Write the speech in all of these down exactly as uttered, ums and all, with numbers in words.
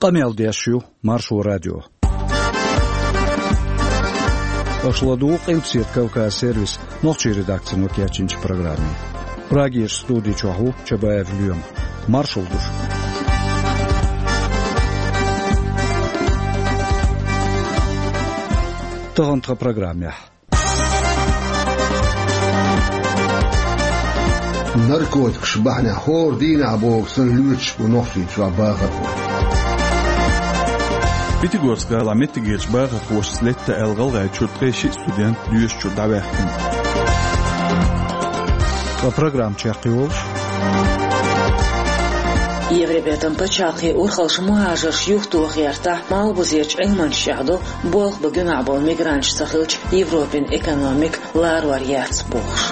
Къамел деш ю Маршо радио. Аша ладугӀу Къилбаседа Кавказ сервисан нохчийн редакцино кечйинчу программе. Прагерчу студи чохь ву Чабаев Лоьма. Маршалла ду шуьга. Тахана тхан программехь. Наркотикаш бахьанехь хӀора дийнахь боху санна лоьцуш бу Нохчийчохь бахархой. Пятигорск-гӀалахь меттигерчу бахархошца летта аьлла ГӀалгӀайчуьра ткъе шиъ студент доьшучуьра дӀаваьккхина. Ткъа программа чекхйолуш. Евробертан пачхьалкхийн урхаллаш мухӀажарш юхатоха гӀертахь, Малхбузерчу Ӏилманчаша чӀагӀдо, болх бан гуьнахь болу мигранташ ца хилча, Европин экономика ларор яц бохуш.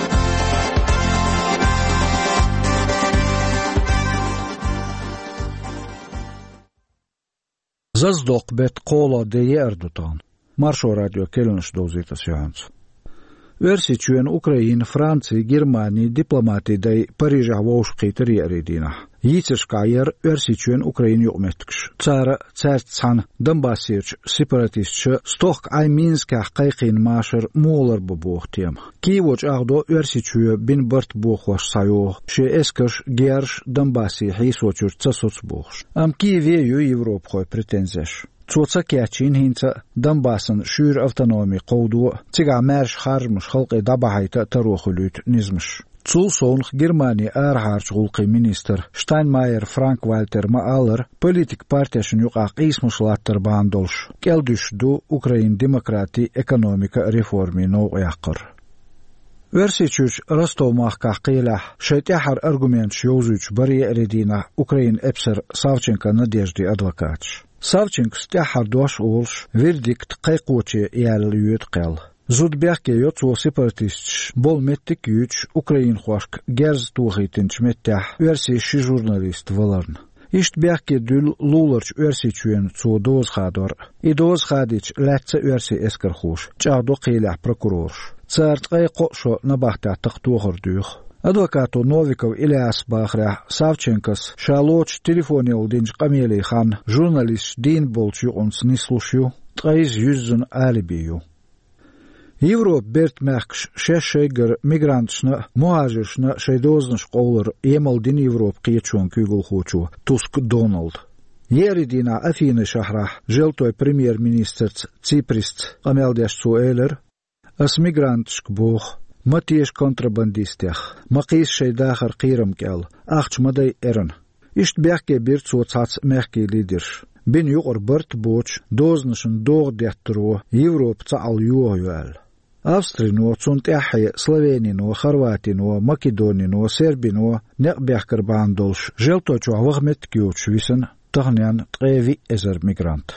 Зазадоккху беттан кхоалгӀа де еара ду тахана. Маршо радион керланаш довзуьйту аса юьхьанца. Оьрсийчоьнан, Украинан, Францин, Германин дипломатийн дай Парижехь вовшахкхийтира еарин дийнахь. Йийцаршкахь яра Оьрсийчоьнан, Украинан юкъаметтигаш. Цара а, цаьрца цхьаьна Донбассерчу сепаратисташа стохка Ӏай Минскехь кхайкхийна машар муха ларбан боху тема. Киево чӀагӀдо, Оьрсийчоь бина барт бохош схьайогӀу, шен эскарш, герзаш Донбассе хьийсочуьра ца соцу бохуш. Амма Киеве ю европахойн претензеш. Цо ца кечйина хӀинца а Донбассан шуьйра автономи кховдо а, цигахь маьрша харжамаш халкъе дӀабахьийта а таро хуьлуьйту низамаш. Цул совнаха Германин арахьарчу гӀуллакхийн министра Штайнмайер Франк-Вальтера ма-аллара, политикан партешна юкъахь къийсамаш латтар бахьана долуш, кӀелдуьсуш ду Украинан демократин а, экономикан а реформийн новкъа яккхар. Оьрсийчуьрчу Ростов-махкахь кхелехь шайн тӀаьххьара аргументаш йовзуьйтуш бара еарин дийнахь Украинан эпсаран Савченко Надеждин адвокаташ. Савченкос тӀаьххьара дош а олуш, вердикт кхайкхоче яьлла йоьду кхел. Зуда бехке йо цо сепаратисташ болу меттиг а юьйцуш, украинхошка герз тохийтинчу меттехь оьрсийн ши журналист валарна. Иштта бехке дуьллу луларчу Оьрсийчоьнан цо доза хадор а. И доза хадийча лаьцна оьрсийн эскархоша, чӀагӀдо кхелехь прокурораша. Цара ткъе кхо шо набахтехь такха тохар доьху. Адвокато Новиков Ильяса бахарехь, Савченкос ша лоцуш телефонехула динчу къамелийн ханна журналисташ дийна болчу юкъанца нислуш ю, ткъе иза юьззина алиби ю. Европан бертан мехкаш шаьш шайгара мигранташна а, мухӀажиршна а шайн дозанаш къовлар емал дина Европан кхеташонан куьйгалхочо Туск Доналда. Еарин дийнахь Афины шахьарахь Желтойн премьер-министрца Циприсца къамел деш цо элира: «Ас мигранташка боху, ма теша контрабандистех, ма кхийса шайн дахар кхерам кӀел, ахча ма дай эрна». Иштта бехке бира цо цхьацца мехкийн лидерш, бина юкъара барт а боцуш, дозанашна догӀа деттаро Европа цхьаьна йохайо аьлла. Австрино, цунна тӀаьххье Словенино, Хорватино, Македонино, Сербино некъ бехкар бахьана долуш, Желтойчохь ваха меттиг йоцуш висина таханенна ткъе виъ эзар мигрант.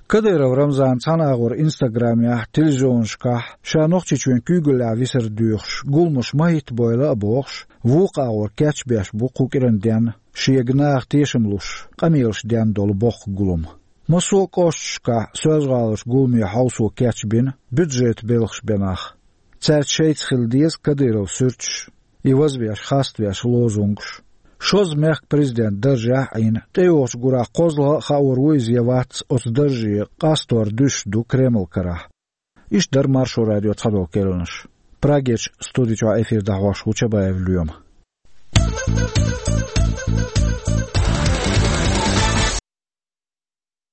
Кадыров Рамзана цхьана агӀор Инстаграмехь, телевизионашкахь ша Нохчийчоьнан куьйгаллехь висар доьхуш, гуламаш ма хӀиттабойла а бохуш, вукху агӀор кечбеш бу кху кӀиран денна, шега наха тешам луш, къамелаш денна долу боккха гулам. Массо а кӀошташкахь Соьлжа-ГӀаларчу гуламе хьовсо кечбина, бюджетан белхаш бен нах. Цаьрца шайца хила деза Кадыровн суьрташ, и вазвеш, хаставеш лозунгаш. Шозза мехкан президентан даржехь а Ӏийна, тӀейогӀучу гурахь кхозлагӀа а хаор ву иза я вац оцу дарже къастор дуьсуш ду Кремлан карахь. Иштта дара Маршо радион цхьадолу керланаш. Прагерчу студи чохь эфир дӀахьош ву Чабаев Лоьма.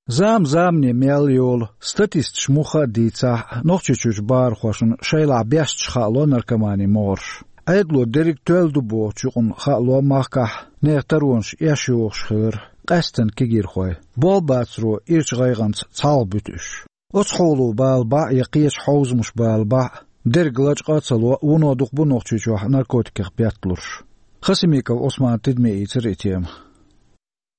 Зама замане мел йолу, статисташа муха а дийцахь, Нохчийчуьрчу бахархошна шайлахь бесташ хаало наркоманин могӀарш. Ӏедало дерриг тоьлла ду бохучу юкъана хаало махкахь нехан таронаш эшйохуш хилар, къаьсттина кегийрхой, болх бацаро ирчу гӀайгӀанца цхьалха буьту уьш. Оцу хьоло бала бан я кхечу хьовзамаша бала бан дерг лачкъа а ца ло, вуно дукха бу Нохчийчохь наркотикех бетталурш. Хасимиков Ӏусмана тидаме ийцира и тема.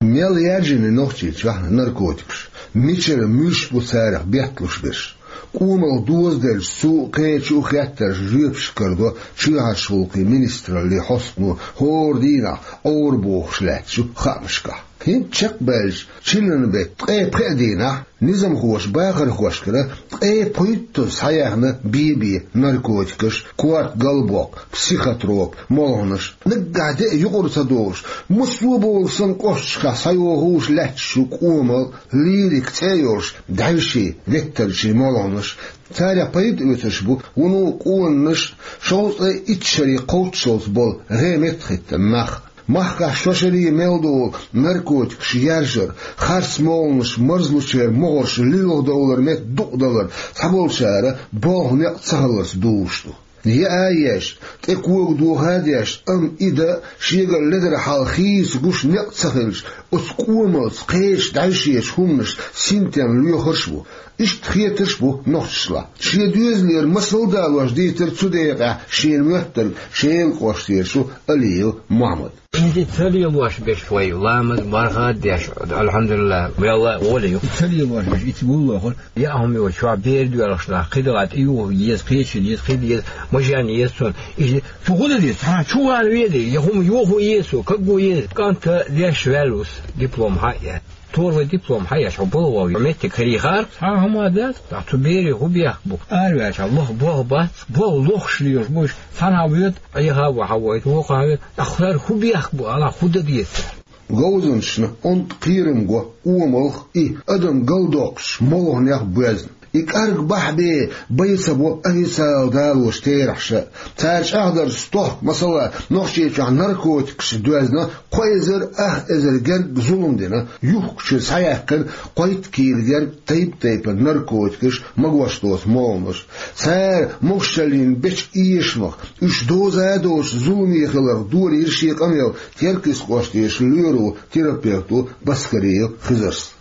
Мел яьржина Нохчийчохь наркотикаш, мичара муьлш бу царах бетталуш берш? Къоман доза делча, цу а, кхечу а хеттарш жоьпашка карадо чоьхьарчу гӀуллакхийн министраллин хьостано хӀора дийнахь Ӏора бохуш лаьттачу хаамашкахь. ХӀинца чекхбаьлча, чиллан бетта ткъе пхеа дийнахь низамхоша бахархошкара ткъе пхуьйттазза схьаяьхна бе-бе наркотикаш, корта галбоккху, психотроп, молханаш. Наггахь де а юкъара ца долуш, массо а болу санна кӀошташкахь схьайохуш лаьтташ ю кӀомал, лирика цӀе а йолуш, дӀаьвший, веттарчий молханаш. Царех пайда оьцуш бу вуно къонанаш, шовзткъе итт шаре кхоччуш болу гӀеметтахӀиттина нах. Махкахь шо шаре мел долу наркотикаш яржар, харц молханаш, марзлучеран могӀарш луьйгӀа довлар метта дукъадалар цхьаболчара болх-некъ цахиллалц дузуш ду. Яа еш, тӀе кога доха а деш, амма и дан шегара ледара хьал хийца гуш некъ ца хилча, оцу кӀомалца, кхечу дӀаьвшечу хӀуманашца синтем лоьхурш а бу. Иштта хетарш а бу нохчашлахь. Шен доьзалера масал а далош дийцира цу декъехь шена моьттург Шелан кӀоштера шу Алиев Мохьмад. Иза ца лелош берш вай, ламаз, марха а деш, алхьамдулиллахӀ, мелла а гӀоле ю. И ца лелош берш, и ца гуллохура, яа хӀума йоцуш, чохь бер доьлхуш нах, кхидӀа тӀеюху еза, кхечу еза, кхидӀа еза, мажен еза цунна. Иза цу гӀуда деза, цхьа чу вала веза, я хӀума йохо еза цо, кагго еза. КӀанта деш ваьлла вус, диплом хьаъ яц. Тора вай диплом хьаъ яц, хьо балгӀа ву, меттиг хир йихар, цхьа хӀума а дац, ткъа цу берийн хӀун бехк бу? Араваьлча лаха болх бац, болх лохуш лелаш бу уьш, цхьана а воьду, Ӏеха а ву хьан вайта, вукху а воьду, тӀаккха хӀара хӀун бехк бу, ала хӀун дан деза цара? Говзанчашна онда кхерам го омалх а, и адам галдоккхучу молханех а боьзна. И кӀарг бахьа бен бай ца бо официалан далочу терахьаша а. Цара чӀагӀдарца, стохка, масала, Нохчийчохь наркотикашца доьзна кхо эзар ах эзар герга зулам дина, юхкучуьра схьаяьккхина кхойтта кийла герга тайп-тайпана наркотикаш, магош доцу молханаш. Цара могушаллин бечу эшамах, уьш доза а доцуш зуламе хиларх долийра шен къамел Теркйист кӀоштера лоьро терапевто Баскариев Хизарс.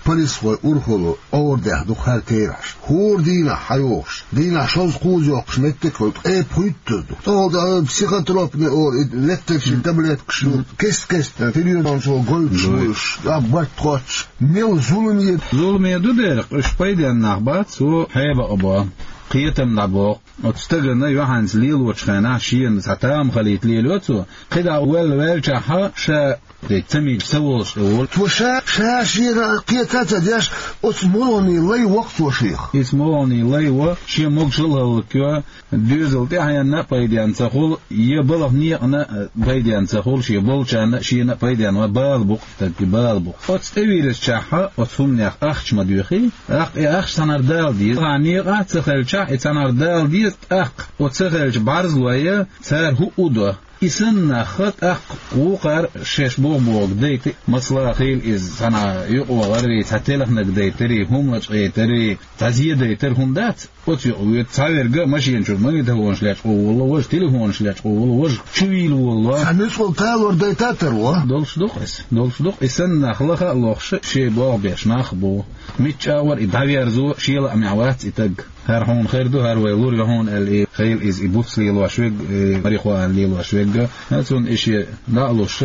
Полисхойн урхалло Ӏорадехна ду-кх хӀара терахьаш. ХӀора дийнахь хьайогӀуш, дийнахь шовзткъа кхуза йоккхуш меттиг а хуьлу, ткъе пхуьйттазза ду. ТӀехула тӀе психотропный олу, и веттарчийн таблеткаш ю, кест-кеста телевизиончо гойтуш ву уьш, а барт хоттуш. Мел зуламе. Зуламе ду дера, уьш пайденна нах бац, цо хьебакъабо, кхетам дӀабоккху. Оцу стагана юьхьанца лелочу хенахь шена цхьа тамахалийта лелайо цо, кхидӀа а ваьлла ваьллачохь ша де ца мийча ца волуш тӀе волу. Цо ша, ша шена кхета а ца деш, оцу молханийн лай во-кх цо шех. Иза молханийн лай во, шен могушалла а хӀаллакйо, доьзал тӀаьхьенна а пайденна ца хуьлу, я балха некъана а пайденна ца хуьлу, шен болчарна а, шена а пайденна ван бала бу-кх, стаг и бала бу-кх. Оцу тӀевирзичахьа, оцу хӀуманех ахча ма доьхий, тӀаккха и ахча цхьанхьара дала деза. Цхьа некъа а ца хилчахь, и цхьанхьара дала деза, тӀаккха оцу ца хилча бӀарзлой, цара хӀуъу а до. И санна нах тӀаккха вукхара шаьш боху-бохург дайта, масала, хила иза цхьана юкъа вахарий, цхьа телханаг дайтарий, хӀума лачкъийтарий, цхьа зе дайтар хӀума дац, оцу юкъа воьду. Цхьаверг а машина чуьра магнитофонаш лечкъо волало, важа телефонаш лечкъо волало, важа чувийла волало. Цхьа нуьцкъала талор дайта а тарло. Долуш ду-кх иза, долуш ду-кх. И санна нах лаха а лохуш, шен болх беш нах а бу. Мичча а вара и дӀаверзо, шен лаамехь вац и таг. ХӀара хьуна хир ду, хӀара вай лур ю хьуна аьлла, и хила иза и буц лелош верг, и марихуана лелош верг а. Цунна и шен дӀа а луш,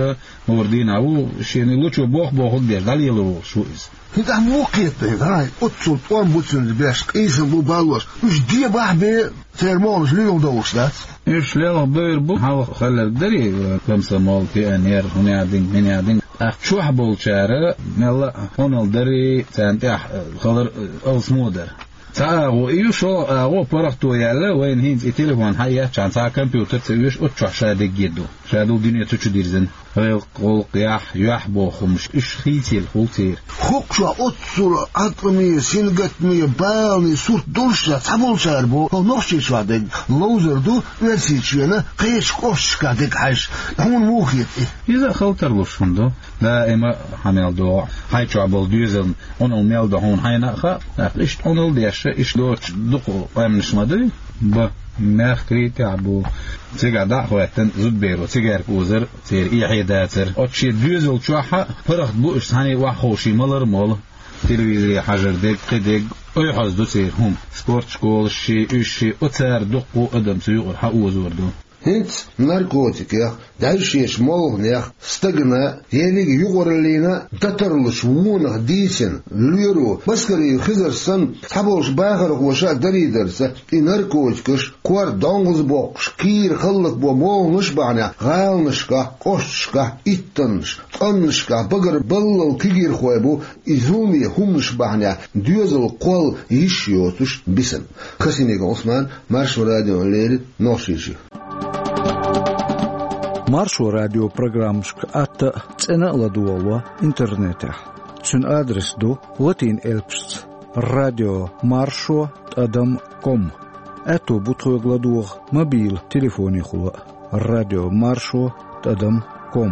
хӀора дийнахь ву, шена и лучо боху-бохург деш, дӀалелор волуш ву иза. ХӀинца ахь муха кхета, гӀай, оццул тӀом бу цуьнца беш, къийсам бу баллош, уьш дебахь бен, церан могӀанаш луьйгӀа довлуш дац? Уьш лелха бевр бу, хьалха хилларг дарий, комсомол, пионер, хӀунехдинг, минехдинг. ТӀаккха чохь болчара мелла а хьуналла дарий, царна тӀехь хилар алсамо дара. Цхьа агӀо и ю, шолгӀа агӀо паргӀато яьлла, вайна хӀинца и телефон хьаэцчхьана цхьа а компьютер ца оьшу, оцу чохь ша дегге ду. Ша долу дуьне цу чу дирзина. Гӏиллакх, гӀуллакх, яхь, юьхь боху хӀумнаш, уьш хийцаелла хуьлу церан. ХӀокху чохь оццул Ӏаткъаме, сингаттаме, балане сурт долуш а, цхьаболчара боху, хӀокху Нохчийчохь дерг ловзар ду, Оьрсийчоьнан кхечу кӀошташкахь дерг хьаьжча. Хьуна муха хета и? Иза а хала тарлуш хӀума ду. Даима хьан мел догӀу, хьайн чохь болу доьзална Ӏуналла мел до хьуна хьайна а хаьа. ТӀаккха иштта Ӏуналла деш, иштта доцуш дукха къаьмнаш ма дуй? Бан, мехкарий тӀехь бу. Цигахь дӀа а хӀоьттина, зудаберо цигарка озар, церан эхье дацар. Оцу шен доьзал чохь а паргӀат бу уьш, цхьаьна охьаховший малар а молу. Телевизоре хьажар дерг, кхин дерг, ойхьаз ду церан хӀума. Спортшколаш ши, уьш ши, оцара дуккха а адам цу юкъара хьаозор ду. ХӀинца наркотикех, дӀаьвшечу молханех, стагана, ерриг юкъараллина, датарлучу вонах дийцина, лоьро, Баскариев Хизар санна, цхьаболчу бахархоша дарийдарца, и наркотикаш, корта донгӀазбоккхуш, кийра хӀаллакбо молханаш бахьанехь, гӀаланашкахь, кӀошташкахь, иттаннаш, цӀаннашкахь багарбаллал кегийрхой бу, и зуламе хӀуманаш бахьанехь, доьзал кхолла йиш йоцуш бисина. Касимиков Ӏусман, Маршо радиона леррина, Нохчийчоь. Маршо радион программашка атта а, цӀена а ладогӀало интернетехь. Цуьнан адрес ду латин элпашца: радио маршо тӀадам ком. Аьтто бу тхоьга ладогӀа мобил телефонехула а: радио маршо тӀадам ком.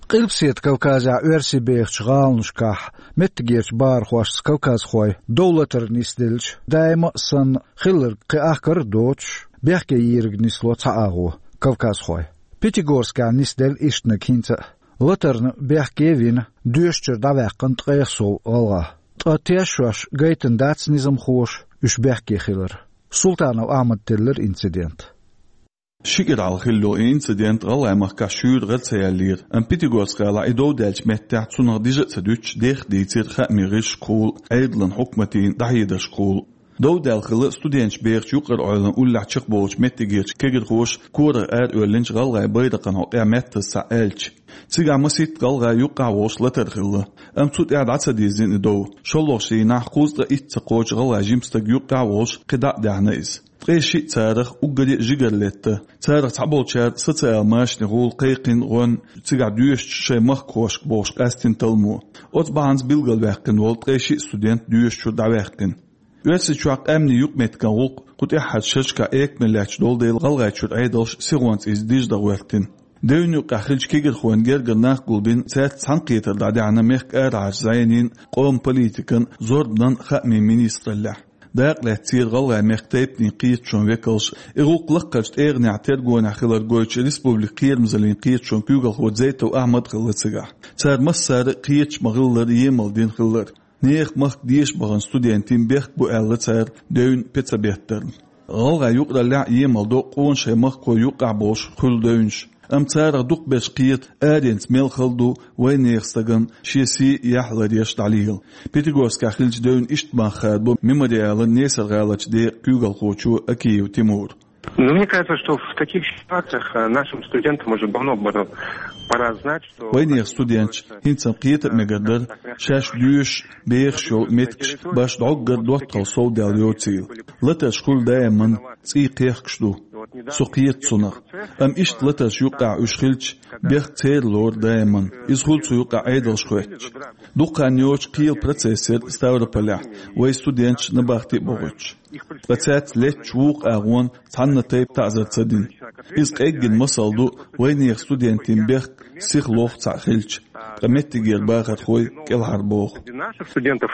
Къилбаседа Кавказехь оьрсий бехачу гӀаланашкахь меттигерчу бахархошца кавказхой дов латар нисделча, даима а санна, хилларг кхин ахкар а доцуш, бехке йийриг нисло цхьа агӀо кавказхой. Пятигорскехь нисделла ишттаниг хӀинца а. Латарна бехке а вина, доьшучуьра дӀаваьккхина ткъех сов гӀалгӀа. Ткъа тешош гайтина дац низамхоша уьш бехке хилар. Султанов Ахьмада теллира инцидент. Ши кӀира хьалха хилла йолу и инцидент ГӀалгӀай махкахь шуьйра гӀара ца яьллера, амма Пятигорск-гӀалахь и дов даьллачу меттехь цунах дижа а ца дуьтуш, дех дийцира хаамийн гӀирсашкахула, Ӏедалан хьукматийн дӀахьедаршкахула. Дов даьлла хилла студенташ бехачу юкъара Ӏойлан уллехь чекхболучу меттигерчу кегирхоша корах ара оьллинчу гӀалгӀайн байракхан хьокъехь меттаза схьа аьлча. Цигахь масийтта гӀалгӀай юккъехь а волуш латар хилла, амма цу тӀехь дӀа ца дирзина и дов. ШолгӀачу дийнахь кхузткъе итт ца кхочу гӀалгӀай жима стаг юккъехь а волуш кхидӀа а даьхьна иза. Ткъе шиъ царах уггаре а жигара летта. Царах цхьаболчара социал машанехула кхайкхина гӀоьнна, цигахь доьшучу шайн махкахошка бохуш къаьстина талламо. Оцу бахьанца билгалваьккхина волу ткъе шиъ студент доьшучуьра дӀаваьккхина. Оьрсийчохь къаьмнийн юкъаметтиган гӀуллакх кху тӀаьххьарчу шерашкахь экамеллаьцна долу дела ГӀалгӀайчуьра Ӏедалш сихонца иза дижа дӀагӀоьртина. Девнна юккъехь хиллачу кегирхойн гергара нах гулбина, цаьрца цхьаьнакхетар дӀадахьна мехкан арахьарчу зӀенийн, къоман политикан, зорбанан, хаамийн министраллехь. Дакъа лаьцна церан ГӀалгӀай мехкан тайпанийн кхеташонан векалша, и гӀуллакх лаккхарчу тӀегӀанехь тергонехь хилар гойтучу республикан кхерамзаллин кхеташонан куьйгалхо Дзейтов Ахьмад а хилла цигахь. Цара массара а кхеташ ма-хиллара емал дина хиллера. Нехан махка деша бахана студентийн бехк бу аьлла цара девнна пен ца беттарна. ГӀалгӀайн юкъараллехь а емал до къона шайн махкахой юккъехь болуш хуьлу девнаш. Амма царах дукхахберш кхета, аренца мел хала ду вайнехан стагана шен сий а, яхь а ларъеш дӀалела. Пятигорскехь хиллачу девнна иштта мах хадабо «Мемориалан» Несар-гӀаларчу декъан куьйгалхочо Акиев Тимура. Ну, мне кажется, что в таких ситуациях, э, нашим студентам уже давно бы пора знать, что... Вайнехан студенташа хӀинца-м кхета а мегар дара, шаьш доьшуш, бехаш йолу меттигаш башха дӀоггара доттагӀалла совдаьлла йоцийла. Латарш хуьлу даиман цӀий кхехкаш ду. Со кхета цунах. Амма иштта латарш юккъехь уьш хилча, бехк церан лору даиман. Иза хуьлу цу юккъехь Ӏедалш хоьттуш. Дукха хан йоцуш кхелан процесс яра Ставрополехь, вайн студенташ набахти а бохуьйтуш. Ткъа цаьрца леттачу вукху агӀонна цхьанна тайпа таӀзар ца дина. Иза къеггина масал ду вайнехан студентийн бехк сиха лоху цхьаъ хилча, ткъа меттигера бахархой кӀелхьарбоху. Наших студентов,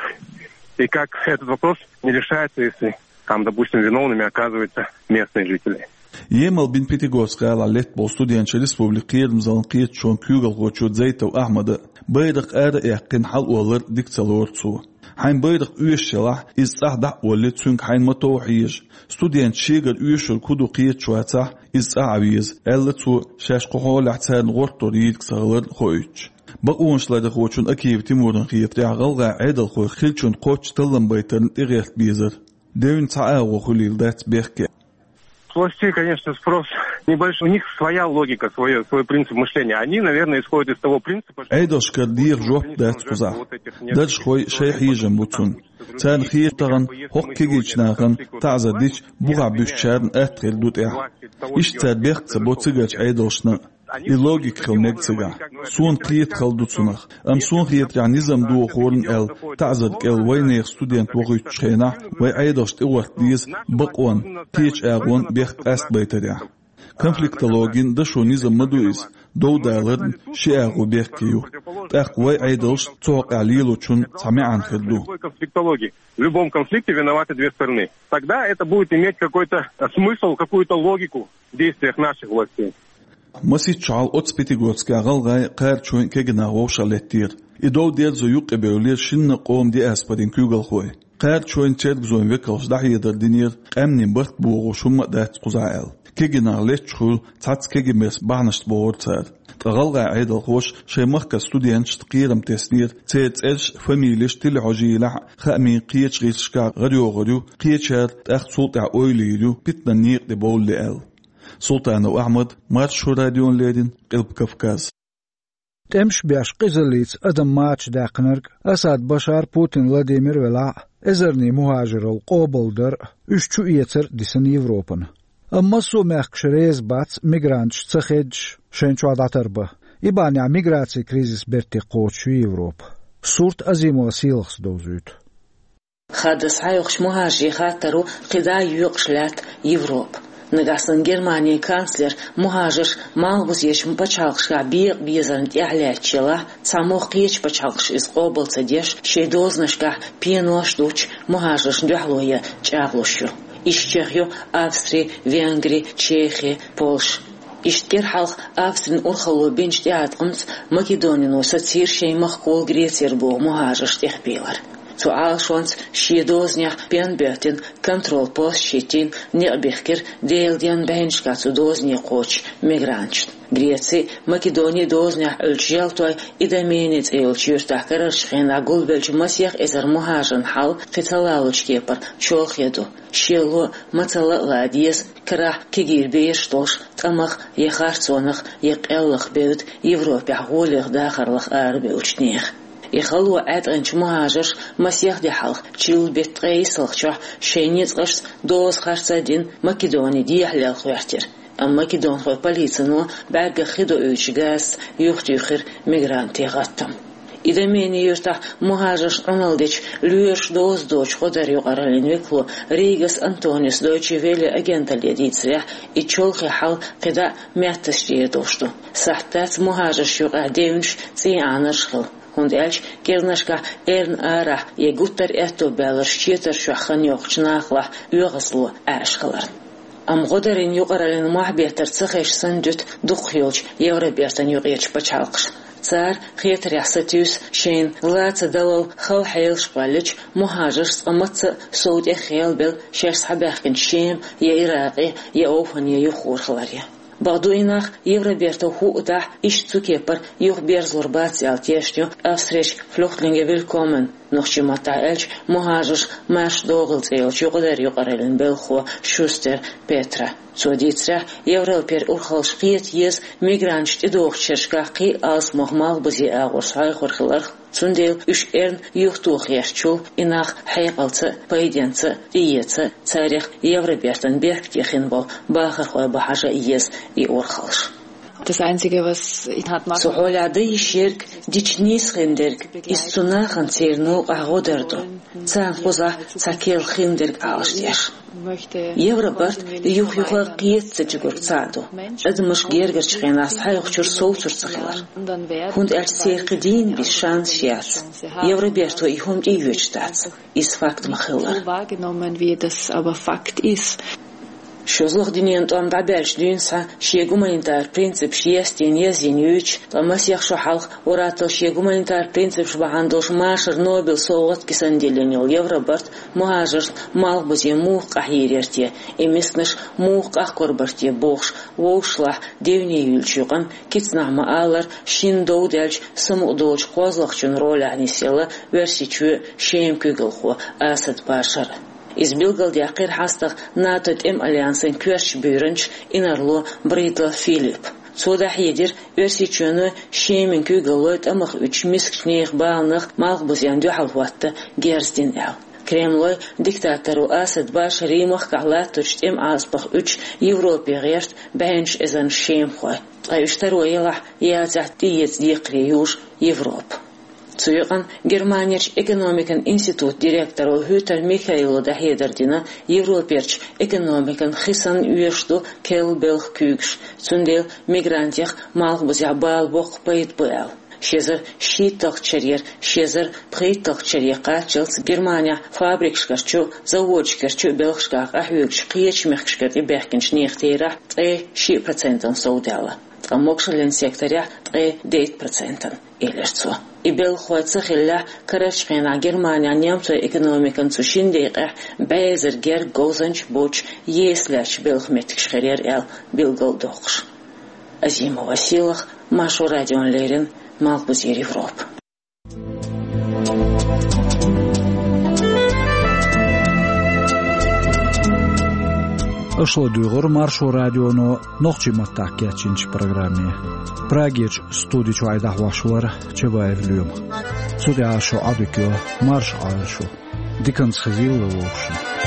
и как этот вопрос не решается, если там, допустим, виновными оказываются местные жители. Емал бина Пятигорск-гӀалахь летта болу студенташ республикан кхерамзаллин кхеташонан куьйгалхочо Дзейтов Ахьмада а, байракх ара а яьккхина, хьалаолар дика ца лору цо. Хьайн байракх оьшуш елахь, иза цӀахь дӀа а оллий, цуьнга хьайна ма-тов хьежа. Студенташ шегара оьшург хӀун ду кхеташ вацахь, иза цӀахь а веза, аьлла цо, шаьш кху хьолехь царна гӀортор йийриг ца хилар хоуьйтуш. Бакъонашларъярхочун Акиев Тимурна хетарехь, гӀалгӀайн Ӏедалхойх хиллачунна кхоччуш таллам байтарна тӀегӀерта безара. Девнна цхьа агӀо хуьлийла дац бехке. С властей, конечно, спрос небольшой. У них своя логика, свой, свой принцип мышления. Они, наверное, исходят из того принципа, что... Ӏедалшкара деха жоп дац кхузахь. Даржхой шайн хьежам бу цунна. Царна хета тахана хӀокху кегийчу нахана таӀзар дича, бухахь буьсучарна атта хир ду тӀехь. Иштта цара бехк ца бо цигарчу Ӏедалшна. И логика хила мега цигахь. Суна кхета хала ду цунах. Амма суна хетарехь, низам дохорна аьлла, таӀзар кӀел вайнехан студент вохуьйтучу хенахь, вайн Ӏедалш тӀегӀорта деза бакъонна, кхечу агӀонна бехк къастабайтарехь. Конфликтологин дашо низам ма ду иза, дов даларна ши агӀо бехке ю. ТӀаккха вайн Ӏедалш цу хьокъехь лелочун цхьа маьӀна хир ду. Конфликтологи. В любом конфликте виноваты две стороны. Тогда это будет иметь какой-то, э, смысл, какую-то логику в действиях наших властей. Масийтта шо хьалха оцу Пятигорскехь гӀалгӀайн, кхарачойн кегий нах вовшахлеттера. И дов дерзо юккъе бевллера шинна къоман диаспорин куьйгалхой. Кхаьрдачойн цергазойн векалша дӀахьедар динера, къаьмнийн барт богӀуш хӀумма а дац кхузахь аьлла. Кегий нах летча хуьлу цхьацца кегий бесса бахьанашца бохура цара. Ткъа гӀалгӀайн Ӏедалхоша шайн махкара студенташна кхерам теснера, церан цӀераш а, фамилеш а тилла хьожийлахь а, хаамийн кхечу гӀирсашкахь гӀарайогӀур ю, кхечара тӀаккха цул тӀаьхьа ойла йийр ю, питанан некъа тӀе бовлале аьлла. Султанов Ахьмад, Маршо радиона леррина, Къилба Кавказ. ТӀемаш беш къизаллица адам мача даьккхинарг Асад Башар, Путин Владимир велахь а, эзарнийн мухӀажарал къобалдар а, уьш чуэцар а дисина Европана. Амма массо а мехкаш реза бац мигранташ ца хеддаш шайна чохь дӀатарбан. И бахьанехь миграцин кризис бертте кхочуш ю Европа. Сурт Азимова Сийлахьс довзуьйту. Хадас хьайохчу мухӀажарийн хаттар ву кхидӀа а йоькъуш лаьтта Европа. Нагахь санна Германин канцлер мухӀажарш малхбузечу пачхьалкхашкахь бекъа безарна тӀехь лаьтташ елахь, цхьаммо кхечу пачхьалкхаша иза къобал ца деш, шайн дозанашкахь пенош а дуьтуш, мухӀажаршна дуьхьало ян чӀагӀлуш ю. Иштта чохь ю Австри, Венгри, Чехи, Польша. Иштта кӀира хьалха Австрин урхалло бинчу тӀеӀаткъамца Македонино сацийра шайн махкахула Грецера богӀу мухӀажарш тӀехбийлар. Цу Ӏалашонца шен дозанехь пен боьттина, контрол-пост хӀиттийна, некъ бихкира Делан денна бӀеннашкахь цу дозане кхочучу мигранташна. Грецин а, Македонин а дозанехь Ӏуьллучу Желтой Идомени цӀе йолчу юьртахь карарчу хенахь гулбеллачу масех эзар мухӀажаран хьал кхин ца лалучу кепара чолхе ду. Шело а, мацалла а лан деза, карахь кегийра бераш долуш, тӀамах я харцонах, я къеллах бевдда Европехь гӀолех, дахарлах арабевллачу нехан. И хало Ӏаьткъинчу мухӀажарша масех де хьалха, чиллан беттан ткъе иссалгӀачохь, шайн ницкъашца доза харц а дина, Македони дехьалел хьоьхьтира. Амма македонхойн полицино бӀаьргах хи доуьйтучу газаца юхатуьйхира мигрантийн гӀаттам. Идомени юьртахь мухӀажаршна Ӏуналла дечу, лоьраша доза доцучу гӀодаран юкъараллин векало Ригас Антонис Дойче Велле агенталле дийцарехь, и чолхе хьал кхидӀа а меттазчу тӀера долуш ду. Сахьт дац мухӀажаршна юкъахь девнаш, цӀий Ӏанарш хила, хӀунда аьлча кӀиранашкахь эрна арахь я гуттар а аьтто баьлларш четар чохь хан йоккхучу нахалахь оьгӀазло Ӏаш хиларна. Амма гӀодарийн юкъараллин мохь беттар ца хезаш санна дуьту дукхах йолчу Евробертан юкъерчу пачхьалкхаша. Цара, хетарехь, сатуьйсу шайна лаца далалла хала хьелаш кхоьллича, мухӀажарш цкъа мацца а сов тӀехъелбелла шаьш схьабаьхкинчу Шема я Иракъе, я ОвхӀане юхахур хиларе. Бакъду, и нах Евроберто хӀуъа дахь, иштта цу кепара юхаберзалур бац аьлла тешна ю Австрерчу Flüchtlinge Willkommen, нохчийн маттахь аьлча, мухӀажарш марша догӀийла цӀе йолчу юкъадарийн юкъараллин белхахо Шустер Петра. Цо дийцарехь, Европера урхаллаш кхета еза мигранташ тӀедогӀучу шерашкахь кхин а алсамох малхбузе агӀор схьаоьхур хиларх, цундела уьш эрна юхатоха гӀертачул и нах хьекъалца а, пайденца а тӀеэца а, царех Евробертан беркате хин болу бахархой бан хьажа а еза и урхаллаш. Das Einzige, was ich hat Цу хьолехь дан йиш ерг дича нийса хиндерг, иза цу нахана церан новкъахь гӀо дар ду, царна кхузахь цхьа керла хиндерг Ӏалашдеш. Евробарт юх-юха кхетта ца чуьгург цхьаъ ду, адамаш гергарчу хенахь схьаоьхучуьра совцур ца хилар. ХӀунда аьлча церан кхин дийна бис шанс яц. Евроберто и хӀума тӀеоьцуш дац. Иза факт ма-хиллара. So wahrgenommen, wie das aber Fakt ist. ШозлагӀа дуьненан тӀом дӀабаьлча дуьйна схьа шен гуманитар принципаш естийна езйина юьйцуш, ткъа масех шо хьалха ур-атталла шен гуманитар принципаш бахьана долуш машар Нобелан совгӀат кисана диллина йолу Евробарт мухӀажаршна малхбузе муха къахьийр яра те, и мисканаш муха къахкорбар те бохуш, вовшашлахь дийне юьллучу юкъана, кицанахь ма-аллара, шина дов даьлча самукъадолучу кхозлагӀчун ролехь нисъелла Оьрсийчоьнан Шеман куьйгалхо Асад Башар. Иза билгалдаьккхира хьастагӀа НАТО тӀеман альянсан коьртачу буьйранча инарло Бридла Филиппа. Цо дӀахьедира, Оьрсийчоьнан Шеман куьйгаллой тӀамах уьдучу мискачу нехан баланах малхбузенна дуьхьал хӀотта герз дина аьлла. Кремлой диктаторо Асад Башаре махкахь латточу тӀеман Ӏазапах уьдуш Европе гӀерта бӀеннаш эзарнаш шемахой. Ткъа уьш таро елахь, яцахь тӀеэца декхаре южу Европа. Цу юкъана Германерчу экономикан институтан директоро Хьютер Михаила дӀахьедар дина, Европерчу экономикана хи санна оьшуш ду керла белхан куьйгаш, цундела мигрантех малхбузехь бала боккха пайда бу аьлла. Ши эзар шийтталгӀачу шарера ши эзар пхийтталгӀачу шаре кхаччалц Германехь фабрикашкарчу а, заводашкарчу а белхашкахь къахьоьгучу кхечу мехкашкара тӀебаьхкинчу нехан терахь ткъе шиъ процентана совдаьлла. ткъа могашаллин секторехь ткъе дейтта процентана, элира цо. И белхалой ца хиллехь, карарчу хенахь Германехь немцойн экономикан цу шина декъехь бӀе эзар гергга говзанчаш боцуш, еса лаьтташ белхан меттигаш хир яра аьлла билгалдоккхуш. Азимова Сийлаха, Маршо радиона леррина, Малхбузера Европа. Аша ладуьйгӀира Маршо радионо нохчийн маттахь кечйинчу программе. Прагерчу студи чуьра дӀахьош вара Чабаев Лоьма. Цу тӀехь шу Ӏадика йо, марша Ӏойла шу. Диканца хезийла вовшашна.